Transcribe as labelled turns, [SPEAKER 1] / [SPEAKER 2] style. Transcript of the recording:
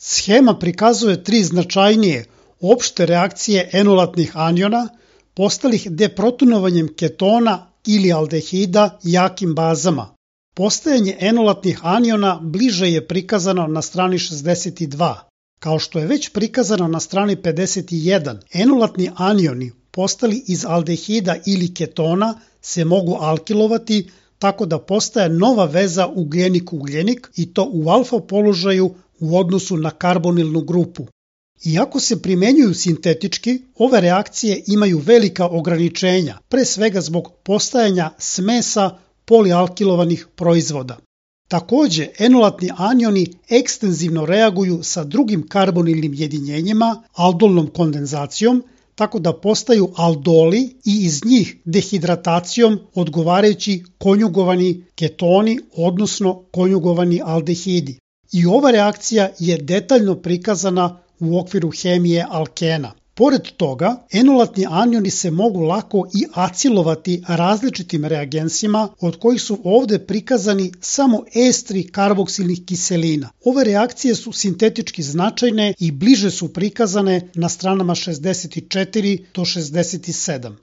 [SPEAKER 1] Schema prikazuje tri značajnije opšte reakcije enolatnih aniona postalih deprotonovanjem ketona ili aldehida jakim bazama. Postajanje enolatnih aniona bliže je prikazano na strani 62. Kao što je već prikazano na strani 51, enolatni anioni postali iz aldehida ili ketona se mogu alkilovati tako da postaje nova veza ugljenik-ugljenik i to u alfa položaju u odnosu na karbonilnu grupu. Iako se primenjuju sintetički, ove reakcije imaju velika ograničenja, pre svega zbog postajanja smesa polialkilovanih proizvoda. Takođe, enolatni anioni ekstenzivno reaguju sa drugim karbonilnim jedinjenjima, aldolnom kondenzacijom, tako da postaju aldoli i iz njih dehidratacijom odgovarajući konjugovani ketoni, odnosno konjugovani aldehidi. I ova reakcija je detaljno prikazana u okviru hemije alkena. Pored toga, enolatni anioni se mogu lako i acilovati različitim reagensima, od kojih su ovde prikazani samo estri karboksilnih kiselina. Ove reakcije su sintetički značajne i bliže su prikazane na stranama 64 do 67.